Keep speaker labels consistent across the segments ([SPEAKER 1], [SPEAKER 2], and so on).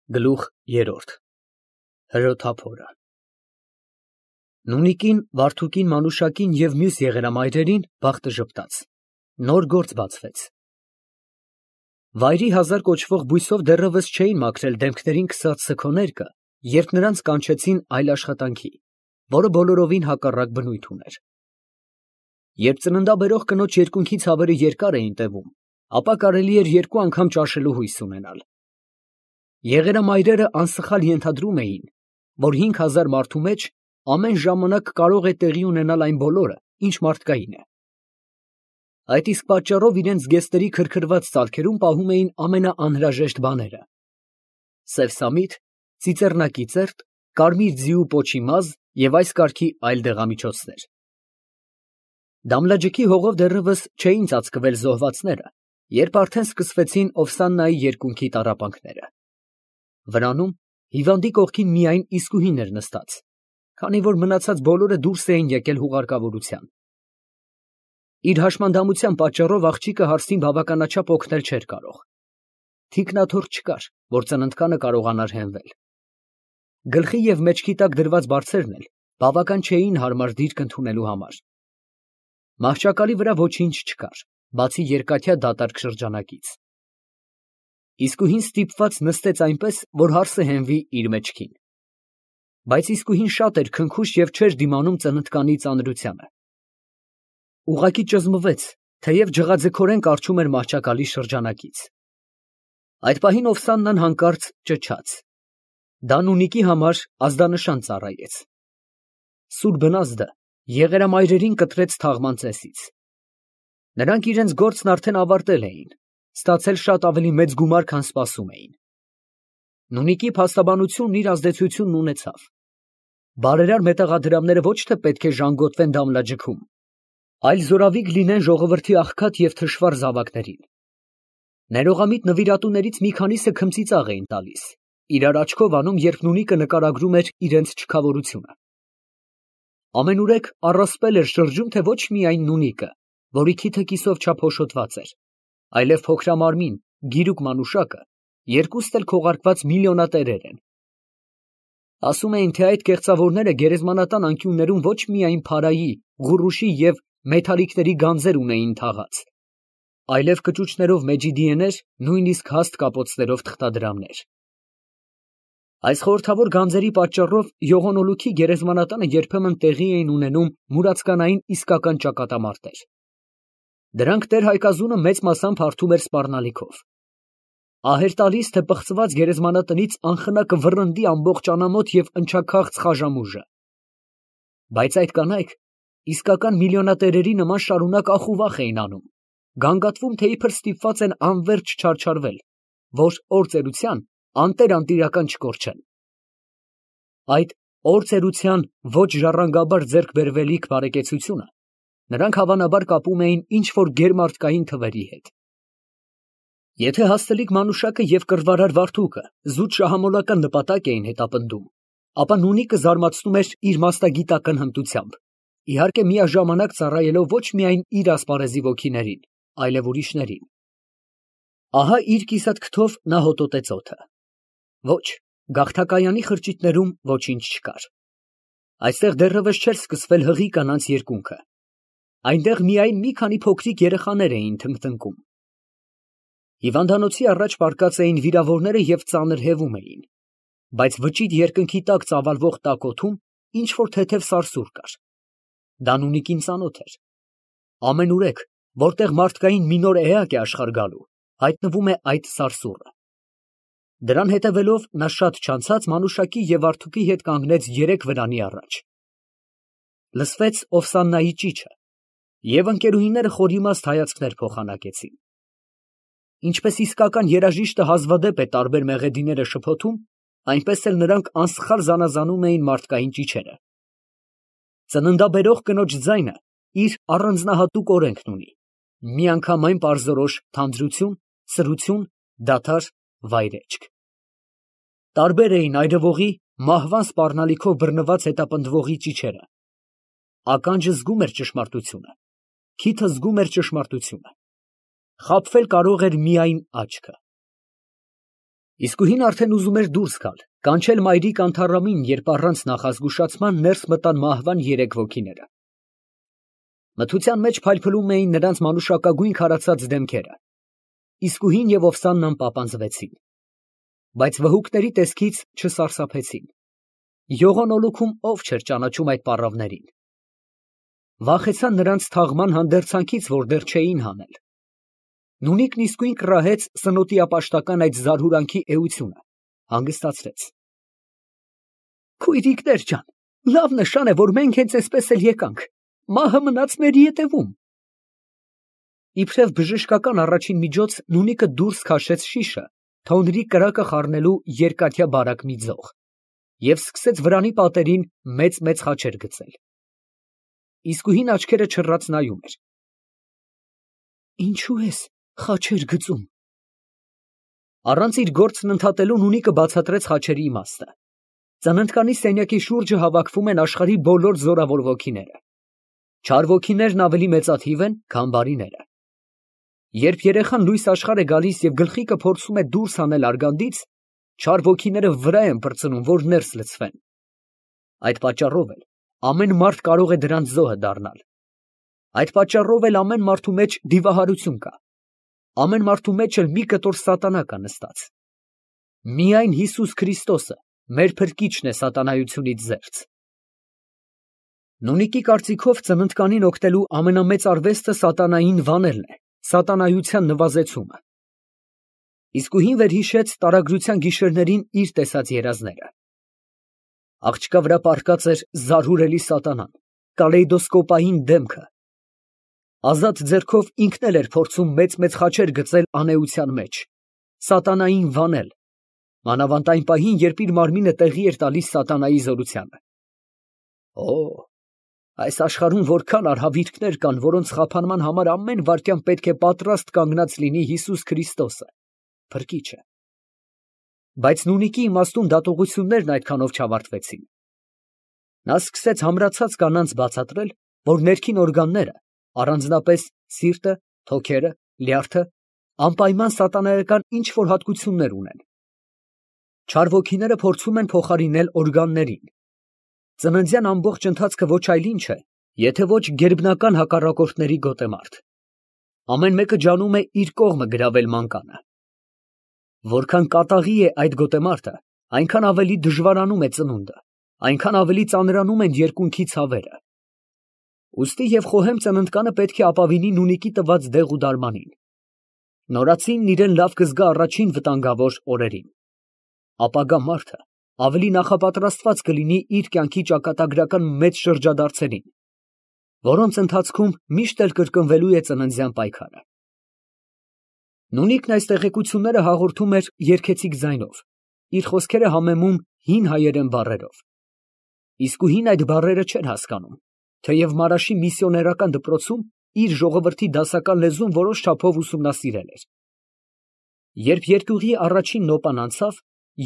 [SPEAKER 1] Գլուխ երրորդ Հրոթափորը Նունիկին, Վարդուկին, Մանուշակին և մյուս եղերամայրերին բախտը ժպտաց, նոր գործ բացվեց։ Վայրի հազար կոչվող բույսով դեռևս չէին մաքրել դեմքներին քսած սգոներկը, երբ նրանց կանչեցին այլ աշխատանքի, որը բոլորովին հակառակ բնույթ ուներ։ Երբ ծննդաբերող կնոջ երկունքի ցավերը երկար էին տևում, ապա կարելի էր երկու անգամ ճաշելու հույս ունենալ։ Եղերամայրերը անսխալ ենթադրում էին, որ 5000 մարդու մեջ ամեն ժամանակ կարող է տեղի ունենալ այն բոլորը, ինչ մարդկային է։ Այդ իսկ պատճառով իրենց զգեստների քրքրված ծալքերում պահում էին ամենաանհրաժեշտ բաները՝ սև սամիտ, ծիծեռնակիծերտ, կարմիր ձիու պոչի մազ և այս կարգի այլ դեղամիջոցներ։ Դամլաջքի հողով դեռևս չէին ծածկվել զոհվածները, երբ արդեն սկսվեցին Օվսաննայի երկունքի տառապանքները։ Վրանում հիվանդի կողքին միայն իսկուհին էր նստած, քանի որ մնացած բոլորը դուրս էին եկել հուղարկավորության։ Իր հաշմանդամության պատճառով աղջիկը հարստին բավականաչափ օգնել չէր կարող։ Թիկնաթոռ չկար, որ ծննդկանը կարողանար հենվել։ Գլխի և մեջքի տակ դրված բարձերն էլ բավական չէին հարմար դիրք ընդունելու համար։ Մահճակալի վրա ոչինչ չկար, բացի երկաթյա դատարկ շրջանակից։ Իսկուհին ստիպված նստեց այնպես, որ հարսը հենվի իր մեջքին։ Բայց իսկուհին շատ էր քնքուշ և չէր դիմանում ծննդկանի ծանրությանը։ Ուղղակի ճզմվեց, թեև ջղաձգորեն կառչում էր մահճակալի շրջանակից։ Այդ պահին Օվսաննան հանկարծ ճչաց։ Դա Նունիկի համար ազդանշան ծառայեց։ Սուր բնազդը եղերամայրերին կտրեց թաղման ծեսից։ Նրանք իրենց գործն արդեն ավարտել էին, ստացել շատ ավելի մեծ գումար, քան սպասում էին։ Նունիկի փաստաբանությունն իր ազդեցությունն ունեցավ։ Բարերար մետաղադրամները ոչ թե պետք է ժանգոտվեն Դամլաջքում, այլ զորավիգ լինեն ժողովրդի աղքատ և թշվառ զավակներին։ Ներողամիտ նվիրատուներից մի քանիսը քմծիծաղ էին տալիս, իրար աչքով անում, երբ Նունիկը նկարագրում էր իրենց չքավորությունը։ Ամենուրեք առասպել էր շրջում, թե ոչ միայն Նունիկը, որի քիթը կիսով չափ հոշոտված էր, այլև փոքրամարմին, գիրուկ Մանուշակը, երկուստ էլ քողարկված միլիոնատերեր են։ Ասում էին, թե այդ կեղծավորները գերեզմանատան անկյուններում ոչ միայն փարայի, ղուռուշի և մեթալիկների գանձեր ունեին թաղած, այլև կճուճներով մեջիդիեներ, նույնիսկ հաստ կապոցներով թղթադրամներ։ Այս խորհրդավոր գանձերի պատճառով Յողոնոլուքի գերեզմանատանը երբեմն տեղի էին ունենում մուրացկանային իսկական ճակատամարտեր։ Դրանք տեր-հայկազունը մեծ մասամբ հարթում էր սպառնալիքով։ Ահեր տալիս, թե պղծված գերեզմանատնից անխնա կվռնդի ամբողջ անամոթ և ընչաքաղց խաժամուժը։ Բայց այդ կանայք իսկական միլիոնատերերի նման շարունակ ախուվախ էին անում, գանգատվում, թե իբր ստիպված են անվերջ չարչարվել, որ օրծերության անտեր-անտիրական չկորչեն։ Այդ օրծերության ոչ ժառանգաբար ձեռք բերվելիք բարեկեցությունը նրանք հավանաբար կապում էին ինչ-որ գերմարդկային թվերի հետ։ Եթե հաստլիկ Մանուշակը և կռվարար Վարդուկը զուտ շահամոլական նպատակ էին հետապնդում, ապա Նունիկը զարմացնում էր իր մասնագիտական հմտությամբ, իհարկե միաժամանակ ծառայելով ոչ միայն իր ասպարեզի ոգիներին, այլև ուրիշներին։ Ահա իր կիսատ քթով նա հոտոտեց օդը։ Ոչ, գաղթակայանի խրճիթներում ոչինչ չկար։ Այստեղ դեռևս չէր սկսվել հղի կանանց երկունքը։ Այնտեղ միայն մի քանի փոքրիկ երեխաներ էին թնգտնկում։ Հիվանդանոցի առաջ պառկած էին վիրավորները և ծանր հևում էին, բայց վճիտ երկնքի տակ ծավալվող տաք օդում ինչ֊որ թեթև սարսուռ կար։ Դա Նունիկին ծանոթ էր։ Ամենուրեք, որտեղ մարդկային մի նոր էակ է աշխարհ գալու, հայտնվում է այդ սարսուռը։ Դրան հետևելով նա շատ չանցած Մանուշակի և Վարդուկի հետ կանգնեց երեք վրանի առաջ։ Լսվեց Օվսաննայի ճիչը, և ընկերուհիները խորիմաստ հայացքներ փոխանակեցին։ Ինչպես իսկական երաժիշտը հազվադեպ է տարբեր մեղեդիները շփոթում, այնպես էլ նրանք անսխալ զանազանում էին մարդկային ճիչերը։ Ծննդաբերող կնոջ ձայնը իր առանձնահատուկ օրենքն ունի, միանգամայն պարզորոշ թանձրություն, սրություն, դադար, վայրէջք։ Տարբեր էին այրվողի, մահվան սպառնալիքով բռնված հետապնդվողի ճիչերը։ Ականջը զգում էր ճշմարտությունը, քիթը զգում էր ճշմարտությունը։ Խաբվել կարող էր միայն աչքը։ Իսկույն արդեն ուզում էր դուրս գալ, կանչել մայրիկ Անթառամին, երբ առանց նախազգուշացման ներս մտան մահվան երեք ոգիները։ Մթության մեջ փայլփլում էին նրանց մանուշակագույն քարացած դեմքերը։ Իսկույն և Օվսաննան պապանձվեցին, բայց վհուկների տեսքից չսարսափեցին։ Յողոնոլուքում ով չէր ճանաչում այդ պառավներին։ Վախեցան նրանց թաղման հանդերձանքից, որ դեռ չէին հանել։ Նունիկն իսկույն կռահեց սնոտի ապաշտական այդ զարհուրանքի էությունը, հանգստացրեց։ Քույրիկներ ջան, լավ նշան է, որ մենք հենց այսպես էլ եկանք, մահը մնաց մեր ետևում։ Իբրև բժշկական առաջին միջոց Նունիկը դուրս քաշեց շիշը, թոնրի կրակը խառնելու երկաթյա բարակ մի ձող, և սկսեց վրանի պատերին մեծ խաչեր գծել։ Իսկույն աչքերը չռած նայում էր։ Ինչու ես խաչեր գծում։ Առանց իր գործն ընդհատելու Նունիկը բացատրեց խաչերի իմաստը։ Ծննդկանի սենյակի շուրջը հավաքվում են աշխարհի բոլոր զորավոր ոգիները։ Չար ոգիներն ավելի մեծաթիվ են, քան բարիները։ Երբ երեխան լույս աշխարհ է գալիս և գլխիկը փորձում է դուրս հանել արգանդից, չար ոգիները վրա են պրծնում, որ ներս լցվեն։ Այդ պատճառով էլ ամեն մարդ կարող է դրանց զոհը դառնալ։ Այդ պատճառով էլ ամեն մարդու մեջ դիվահարություն կա։ Ամեն մարդու մեջ էլ մի կտոր սատանա կա նստած։ Միայն Հիսուս Քրիստոսը, մեր փրկիչն է սատանայությունից զերծ։ Նունիկի կարծիքով ծննդկանին օգնելու ամենամեծ արվեստը սատանային վանելն է, սատանայության նվազեցումը։ Իսկույն վերհիշեց տարագրության գիշերներին իր տեսած երազները։ Աղջկա վրա պառկած էր զարհուրելի սատանան, կալեյդոսկոպային դեմքը։ Ազատ ձեռքով ինքն էլ էր փորձում մեծ խաչեր գծել անեության մեջ, սատանային վանել, մանավանդ այն պահին, երբ իր մարմինը տեղի էր տալիս սատանայի զորությանը։ Օ, այս աշխարհում որքան արհավիրքներ կան, որոնց խափանման համար ամեն վայրկյան պետք է պատրաստ կանգնած լինի Հիսուս Քրիստոսը, փրկիչը։ Բայց Նունիկի իմաստուն դատողություններն այդքանով չավարտվեցին։ Նա սկսեց համրացած կանանց բացատրել, որ ներքին օրգանները, առանձնապես սիրտը, թոքերը, լյարդը, անպայման սատանայական ինչ-որ հատկություններ ունեն։ Չար ոգիները փորձում են փոխարինել օրգաններին։ Ծննդյան ամբողջ ընթացքը ոչ այլ ինչ է, եթե ոչ գերբնական հակառակորդների գոտեմարտ։ Ամեն մեկը ջանում է իր կողմը գրավել մանկանը։ Որքան կատաղի է այդ գոտեմարտը, այնքան ավելի դժվարանում է ծնունդը, այնքան ավելի ծանրանում են երկունքի ցավերը։ Ուստի և խոհեմ ծննդկանը պետք է ապավինի Նունիկի տված դեղ ու դարմանին։ Նորածինն իրեն լավ կզգա առաջին վտանգավոր օրերին։ Ապագա մարդը ավելի նախապատրաստված կլինի իր կյանքի ճակատագրական մեծ շրջադարձերին, որոնց ընթացքում միշտ էլ կրկնվելու է ծննդյան պայքարը։ Նունիկն այս տեղեկությունները հաղորդում էր երգեցիկ ձայնով, իր խոսքերը համեմում հին հայերեն բառերով։ Իսկույն այդ բառերը չէր հասկանում, թեև Մարաշի միսիոներական դպրոցում իր ժողովրդի դասական լեզուն որոշ չափով ուսումնասիրել էր։ Երբ երկյուղի առաջին նոպան անցավ,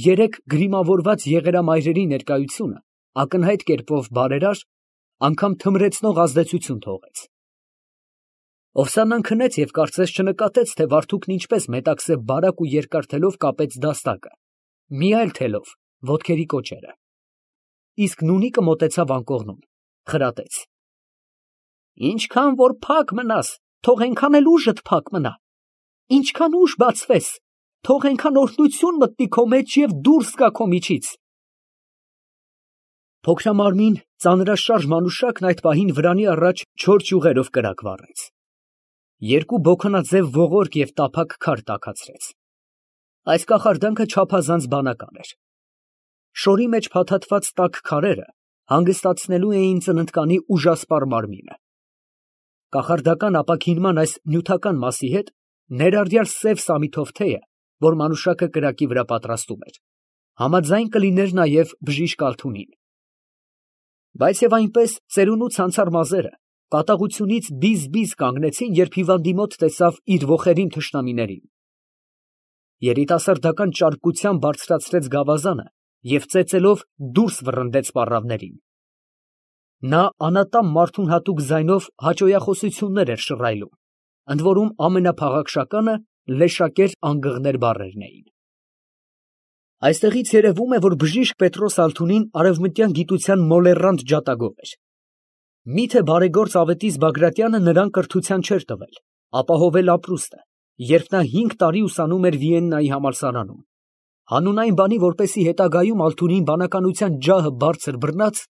[SPEAKER 1] երեք գրիմավորված եղերամայրերի ներկայությունը ակնհայտ կերպով բարերար, անգամ թմրեցնող ազդեցություն թողեց։ Օվսանան քնեց և կարծես չնկատեց, թե վարդուկն ինչպես մետաքսե բարակ ու երկար թելով կապեց դաստակը, մի այլ թելով ոտքերի կոճերը։ Իսկ Նունիկը մոտեցավ անկողնուն, խրատեց. Ինչքան որ փակ մնաս, թող այնքան էլ ուժդ փակ մնա, ինչքան ուժ բացվես, թող այնքան օրհնություն մտնի քո մեջ և դուրս գա քո միջից։ Փոքրամարմին, ծանրաշարժ մանուշակն այդ պահին վրանի առաջ չոր ճյուղերով կրակ վառեց։ Երկու բոքանաձև ողորկ և տափակ քար տաքացրեց։ Այս կախարդանքը չափազանց բանական էր։ Շորի մեջ փաթաթված տաք քարերը հանգստացնելու էին ծննդկանի ուժասպառ մարմինը։ Կախարդական ապաքինման այս նյութական մասի հետ ներառյալ սև սամիթով թեյը, որ մանուշակը կրակի վրա պատրաստում էր, համաձայն կլիներ նաև բժիշկ Ալթունին։ Բայց և այնպես ծերունու ցանցառ մազերը կատաղությունից բիզ կանգնեցին, երբ հիվանդի մոտ տեսավ իր ոխերիմ թշնամիներին։ Երիտասարդական ճարպկությամբ բարձրացրեց գավազանը և ծեծելով դուրս վռնդեց պառավներին։ Նա անատամ մարդուն հատուկ ձայնով հաճոյախոսություններ էր շռայլում, ընդ որում ամենափաղաքշականը լեշակեր անգղներ բառերն էին։ Այստեղից երևում է, որ բժիշկ Պետրոս Ալթունին արևմտյան գիտության մոլեռանդ ջատագով էր։ Միթե բարեգործ Ավետիս Բագրատյանը նրան կրթության չէր տվել, ապահովել ապրուստը, երբ նա 5 տարի ուսանում էր Վիեննայի համալսարանում։ Հանուն այն բանի, որպեսի հետագայում Ալթունին բանականության ջահը բարձր բռնած,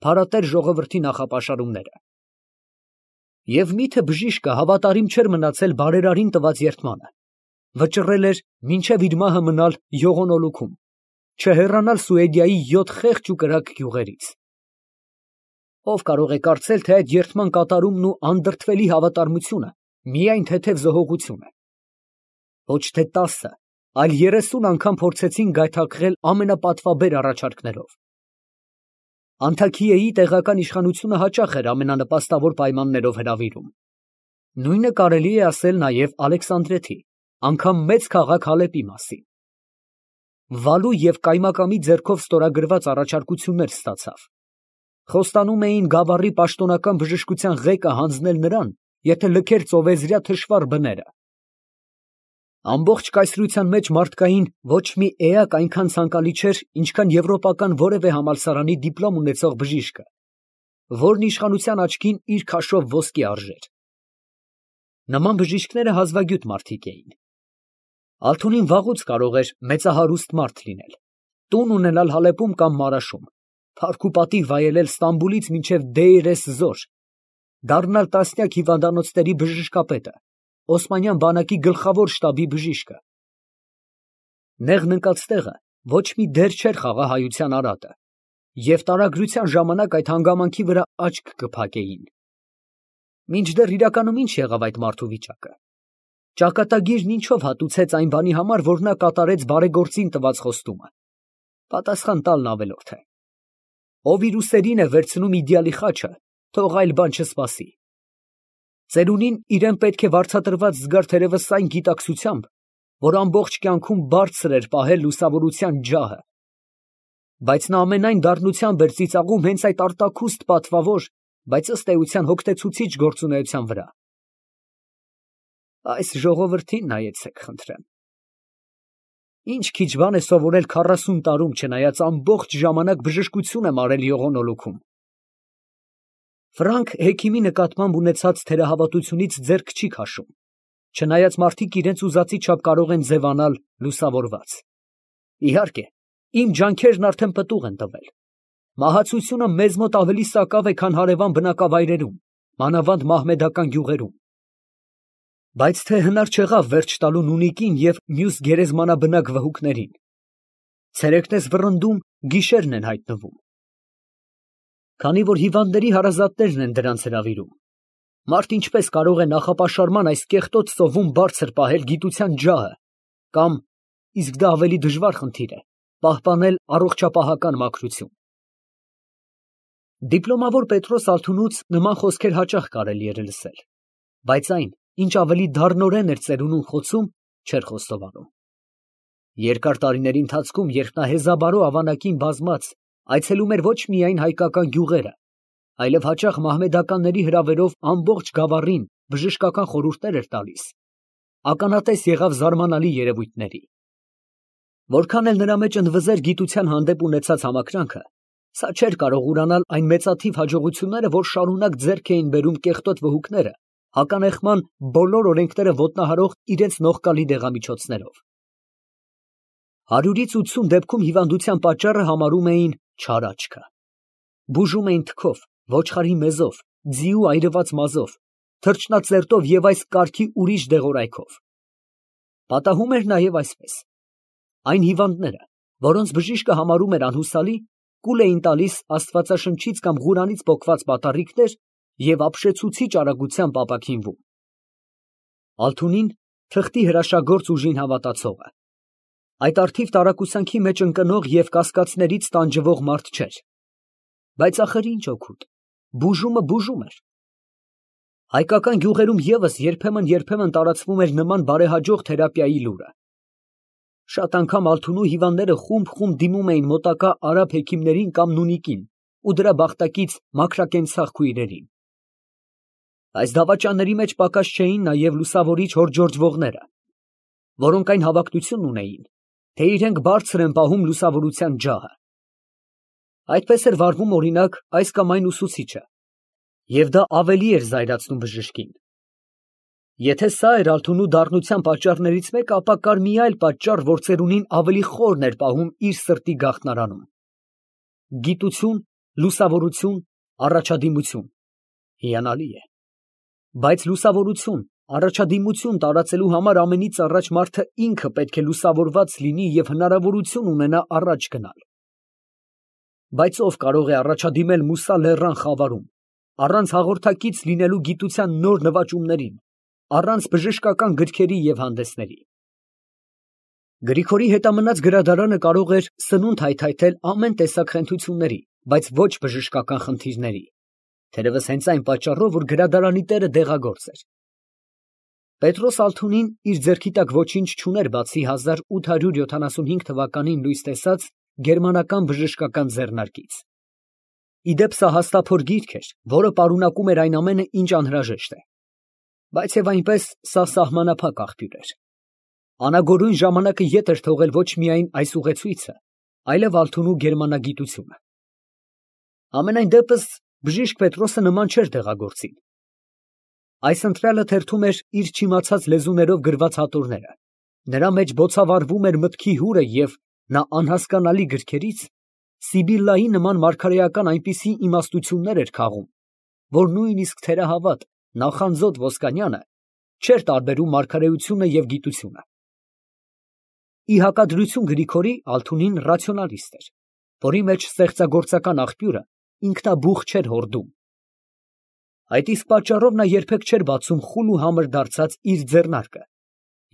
[SPEAKER 1] փարատեր ժողովրդի նախապաշարումները։ Եվ միթե բժիշկը հավատարիմ չէր մնացել բարերարին տված երդմանը, վճռել էր մինչև իր մահը մնալ Յողոնոլուքում, չհեռանալ Սուեդիայի 7 խեղճ ու կրակ գյուղերից։ Ով կարող է կարծել, թե այդ երդման կատարումն ու անդրդվելի հավատարմությունը միայն թեթև զոհողություն է։ Ոչ թե 10, այլ 30 անգամ փորձեցին գայթակղել ամենապատվաբեր առաջարկներով։ Անթաքիեի տեղական իշխանությունը հաճախ էր ամենանպաստավոր պայմաններով հրավիրում։ Նույնը կարելի է ասել նաև Ալեքսանդրեթի, անգամ մեծ քաղաք Հալեպի մասին։ Վալու և կայմակամի ձեռքով ստորագրված առաջարկություններ ստացավ։ Խոստանում էին գավառի պաշտոնական բժշկության ղեկը հանձնել նրան, եթե լքեր ծովեզրյա թշվառ բները։ Ամբողջ կայսրության մեջ մարդկային ոչ մի էակ այնքան ցանկալի չէր, ինչքան եվրոպական որևէ համալսարանի դիպլոմ ունեցող բժիշկը, որն իշխանության աչքին իր քաշով ոսկի արժեր։ Նման բժիշկները հազվագյուտ մարդիկ էին։ Ալթունին վաղուց կարող էր մեծահարուստ մարդ լինել, տուն ունենալ Հալեպում կամ Մարաշում, փառք ու պատիվ վայելել Ստամբուլից մինչև Դեյր ez-Զոր, դառնալ տասնյակ հիվանդանոցների բժշկապետը, Օսմանյան բանակի գլխավոր շտաբի բժիշկը։ Նեղն ընկած տեղը ոչ մի դեր չէր խաղա հայության արատը, և տարագրության ժամանակ այդ հանգամանքի վրա աչք կփակեին։ Մինչդեռ իրականում ինչ եղավ այդ մարդու վիճակը։ Ճակատագիրն ինչով հատուցեց այն բանի համար, որ նա կատարեց բարեգործին տված խոստումը։ Պատասխան տալն ավելորդ է։ Ով իր ուսերին է վերցնում իդեալի խաչը, թող այլ բան չսպասի։ Ծերունին իրեն պետք է վարձատրված զգար թերևս այն գիտակցությամբ, որ ամբողջ կյանքում բարձր էր պահել լուսավորության ջահը, բայց նա ամենայն դառնությամբ էր ծիծաղում հենց այդ արտաքուստ պատվավոր, բայց ըստ էության հոգնեցուցիչ գործունեության վրա։ Այս ժողովրդին նայեցեք, խնդրեմ։ Ինչ քիչ բան է սովորել 40 տարում, չնայած ամբողջ ժամանակ բժշկություն եմ արել Յողոնոլուքում։ Ֆրանկ հեքիմի նկատմամբ ունեցած թերահավատությունից ձեռք չի քաշում, չնայած մարդիկ իրենց ուզածի չափ կարող են ձևանալ լուսավորված։ Իհարկե, իմ ջանքերն արդեն պտուղ են տվել։ Մահացությունը մեզ մոտ ավելի սակավ է, քան հարևան բնակավայրերում, մանավանդ մահմեդական գյուղերում։ Բայց թե հնար չեղավ վերջ տալու նունիկին և մյուս գերեզմանաբնակ վհուկներին։ Ցերեկն ես վռնդում, գիշերն են հայտնվում։ Քանի որ հիվանդների հարազատներն են դրանց հրավիրում, մարդ ինչպես կարող է նախապաշարման այս կեղտոտ ծովում բարձր պահել գիտության ջահը, կամ, իսկ դա ավելի դժվար խնդիր է, պահպանել առողջապահական մաքրություն։ Դիպլոմավոր Պետրոս Ալթունուց նման խոսքեր հաճախ կարելի էր լսել, բայց այն, ինչ ավելի դառնորեն էր ծերունուն խոցում, չէր խոստովանում։ Երկար տարիների ընթացքում, երբ նա հեզաբարո ավանակին բազմած այցելում էր ոչ միայն հայկական գյուղերը, այլև հաճախ մահմեդականների հրավերով ամբողջ գավառին բժշկական խորհուրդներ էր տալիս, ականատես եղավ զարմանալի երևույթների։ Որքան էլ նրա մեջ ընդվզեր գիտության հանդեպ ունեցած համակրանքը, սա չէր կարող ուրանալ այն մեծաթիվ հաջողությունները, որ շարունակ ձեռք էին բերում կեղտոտ վհուկները, հականեխման բոլոր օրենքները ոտնահարող իրենց նողկալի դեղամիջոցներով։ 100-ից 80 դեպքում հիվանդության պատճառը համարում էին չար աչքը։ Բուժում էին թքով, ոչխարի մեզով, ձիու այրված մազով, թռչնածերտով և այս կարգի ուրիշ դեղորայքով։ Պատահում էր նաև այսպես. այն հիվանդները, որոնց բժիշկը համարում էր անհուսալի, կուլ էին տալիս Աստվածաշնչից կամ Ղուրանից պոկված պատառիկներ և ապշեցուցիչ արագությամբ ապաքինվում։ Ալթունին թղթի հրաշագործ ուժին հավատացողը, այդ արդիվ տարակուսանքի մեջ ընկնող և կասկածներից տանջվող մարդ չէր։ Բայց ախր ինչ օգուտ, բուժումը բուժում էր։ Հայկական գյուղերում ևս երբեմն տարածվում էր նման բարեհաջող թերապիայի լուրը։ Շատ անգամ Ալթունու հիվանդները խումբ դիմում էին մոտակա արաբ հեքիմներին կամ նունիկին ու դրա բախտակից մաքրակենցաղ քույրերին։ Այս դավաճանների մեջ պակաս չէին նաև լուսավորիչ հորջորջվողները, որոնք այն հավակնությունն ունեին, թե իրենք բարձր են պահում լուսավորության ջահը։ Այդպես էր վարվում օրինակ այս կամ այն ուսուցիչը, և դա ավելի էր զայրացնում բժշկին։ Եթե սա էր Ալթունու դառնության պատճառներից մեկը, ապա կար մի այլ պատճառ, որ ծերունին ավելի խորն էր պահում իր սրտի գաղտնարանում։ Գիտություն, լուսավորություն, առաջադիմություն։ Հիանալի է։ Բայց լուսավորություն, առաջադիմություն տարածելու համար ամենից առաջ մարդը ինքը պետք է լուսավորված լինի և հնարավորություն ունենա առաջ գնալ։ Բայց ով կարող է առաջադիմել Մուսա լեռան խավարում, առանց հաղորդակից լինելու գիտության նոր նվաճումներին, առանց բժշկական գրքերի և հանդեսների։ Գրիգորի հետամնաց գրադարանը կարող էր սնունդ հայթայթել ամեն տեսակ խենթությունների, բայց ոչ բժշկական խնդիրների, թերևս հենց այն պատճառով, որ գրադարանի տերը դեղագործ էր։ Պետրոս Ալթունին իր ձեռքի տակ ոչինչ չուներ, բացի 1875 թվականին լույս տեսած գերմանական բժշկական ձեռնարկից։ Ի դեպ սա հաստափոր գիրք էր, որը պարունակում էր այն ամենը, ինչ անհրաժեշտ է։ Բայց և այնպես սա սահմանափակ աղբյուր էր։ Անագորույն ժամանակը ետ էր թողել ոչ միայն այս ուղեցույցը, այլև Ալթունու գերմանագիտությունը։ Համենայն դեպս բժիշկ Պետրոսը նման չէր դեղագործին։ Այս ընտրյալը թերթում էր իր չիմացած լեզուներով գրված հատորները, նրա մեջ բոցավառվում էր մտքի հուրը և նա անհասկանալի գրքերից Սիբիլլայի նման մարգարեական այնպիսի իմաստություններ էր քաղում, որ նույնիսկ թերահավատ նախանձոտ Ոսկանյանը չէր տարբերում մարգարեությունը և գիտությունը։ Ի հակադրություն Գրիգորի, Ալթունին ռացիոնալիստ էր, որի մեջ ստեղծագործական աղբյուրը ինքնաբուխ չէր հորդում։ Այդ իսկ պատճառով նա երբեք չէր բացում խուլ ու համր դարձած իր ձեռնարկը,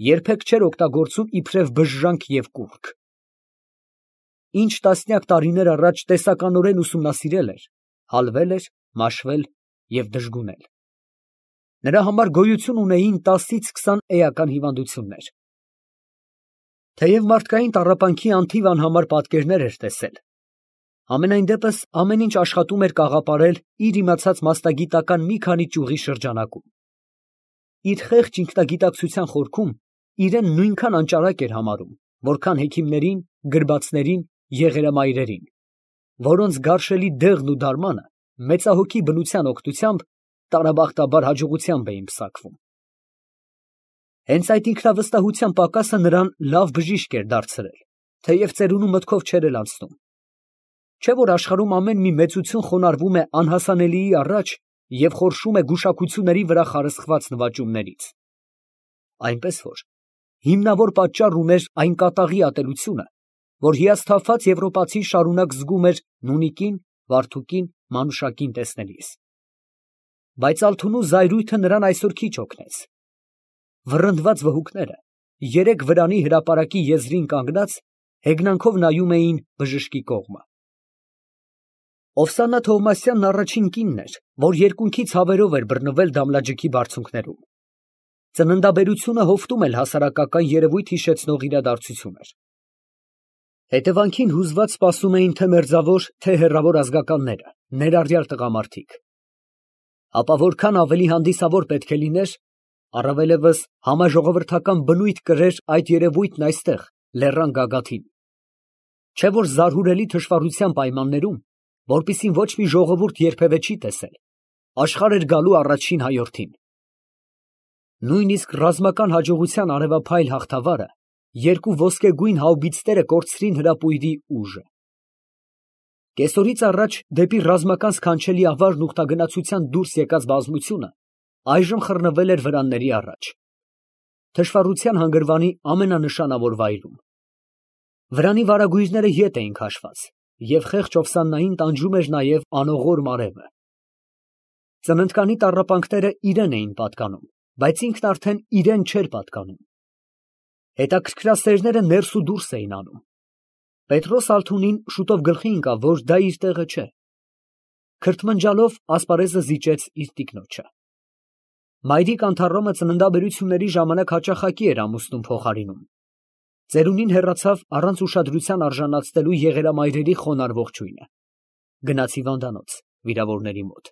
[SPEAKER 1] երբեք չէր օգտագործում իբրև բժժանք և կուռք։ Ինչ տասնյակ տարիներ առաջ տեսականորեն ուսումնասիրել էր, հալվել էր, մաշվել և դժգունել։ Նրա համար գոյություն ունեին 10-ից 20 էական հիվանդություններ։ Թեև մարդկային տառապանքի անթիվ անհամար պատկերներ էր տեսել, համենայն դեպս ամեն ինչ աշխատում էր կաղապարել իր իմացած մասնագիտական մի քանի ճյուղի շրջանակում։ Իր խեղճ ինքնագիտակցության խորքում իրեն նույնքան անճարակ էր համարում, որքան հեքիմներին, գրբացներին, եղերամայրերին, որոնց գարշելի դեղն ու դարմանը մեծահոգի բնության օգնությամբ տարաբախտաբար հաջողությամբ էին պսակվում։ Հենց այդ ինքնավստահության պակասը նրան լավ բժիշկ էր դարձրել, թեև ծերունու մտքով չէր էլ անցնում։ Չէ՞ որ աշխարհում ամեն մի մեծություն խոնարհվում է անհասանելիի առաջ և խորշում է գուշակությունների վրա խարսխված նվաճումներից։ Այնպես որ հիմնավոր պատճառ ուներ այն կատաղի ատելությունը, որ հիասթափված եվրոպացին շարունակ զգում էր Նունիկին, Վարդուկին, Մանուշակին տեսնելիս։ Բայց Ալթունու զայրույթը նրան այսօր քիչ օգնեց։ Վռնդված վհուկները երեք վրանի հրապարակի եզրին կանգնած հեգնանքով նայում էին բժշկի կողմը։Ովսաննա Թովմասյանն առաջին կինն էր, որ երկունքի ցավերով էր բռնվել Դամլաջիքի բարձունքներում։ Ծննդաբերությունը հովտում էլ հասարակական երևույթ հիշեցնող իրադարձություն էր։ Հետևանքին հուզված սպասում էին թե մերձավոր, թե հեռավոր ազգականները, ներառյալ տղամարդիկ։ Ապա որքան ավելի հանդիսավոր պետք է լիներ, առավելևս համաժողովրդական բնույթ կրեր այդ երևույթն այստեղ, լեռան գագաթին։ Չէ որ զարհուրելի թշվառության պայմաններում, որպիսին ոչ մի ժողովուրդ երբևէ չի տեսել, աշխարհ էր գալու առաջին հայորդին։ Նույնիսկ ռազմական հաջողության արևափայլ հաղթավարը, երկու ոսկեգույն հաուբիցները կորցրին հրապույրի ուժը։ Կեսօրից առաջ դեպի ռազմական սքանչելի ավարն ուխտագնացության դուրս եկած բազմությունը այժմ խռնվել էր վրանների առաջ, թշվառության հանգրվանի ամենանշանավոր վայրում։ Վրանի վարագույրները ետ էին քաշված, և խեղճ Օվսաննային տանջում էր նաև անողոր մարևը։ Ծննդկանի տառապանքները իրեն էին պատկանում, բայց ինքն արդեն իրեն չէր պատկանում։ Հետաքրքրասերները ներս ու դուրս էին անում։ Պետրոս Ալթունին շուտով գլխի ընկավ, որ դա իր տեղը չէ։ Քրթմնջալով ասպարեզը զիջեց իր տիկնոջը։ Մայրիկ Անթառոմը ծննդաբերությունների ժամանակ հաճախակի էր ամուսնուն փոխարինում։ Ծերունին հեռացավ առանց ուշադրության արժանացնելու եղերամայրերի խոնարհ ողջույնը։ Գնաց հիվանդանոց, վիրավորների մոտ։